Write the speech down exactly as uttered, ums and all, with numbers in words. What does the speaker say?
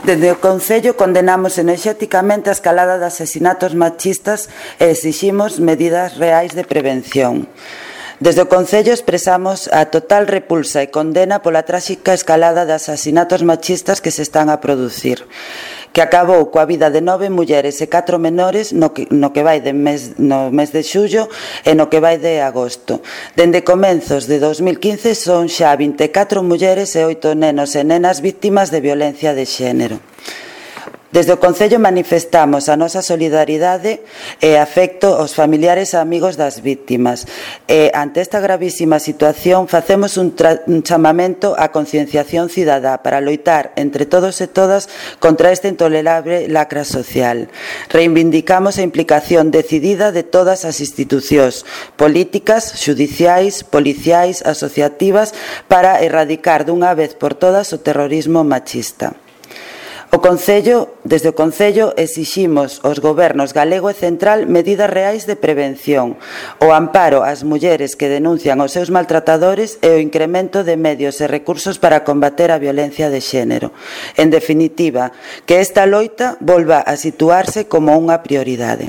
Dende o Concello condenamos enerxéticamente a escalada de asesinatos machistas e exiximos medidas reais de prevención. Desde o Concello expresamos a total repulsa e condena pola tráxica escalada de asasinatos machistas que se están a producir, que acabou coa vida de nove mulleres e catro menores no que, no que vai de mes, no mes de xullo e no que vai de agosto. Dende comenzos de dos mil quince son xa vinte e catro mulleres e oito nenos e nenas víctimas de violencia de xénero. Desde o Concello manifestamos a nosa solidaridade e afecto aos familiares e amigos das víctimas. E, ante esta gravísima situación, facemos un, un chamamento á concienciación cidadá para loitar entre todos e todas contra este intolerable lacra social. Reivindicamos a implicación decidida de todas as institucións políticas, xudiciais, policiais, asociativas para erradicar dunha vez por todas o terrorismo machista. O Concello, desde o Concello exiximos aos gobernos galego e central medidas reais de prevención, o amparo ás mulleres que denuncian os seus maltratadores e o incremento de medios e recursos para combater a violencia de xénero. En definitiva, que esta loita volva a situarse como unha prioridade.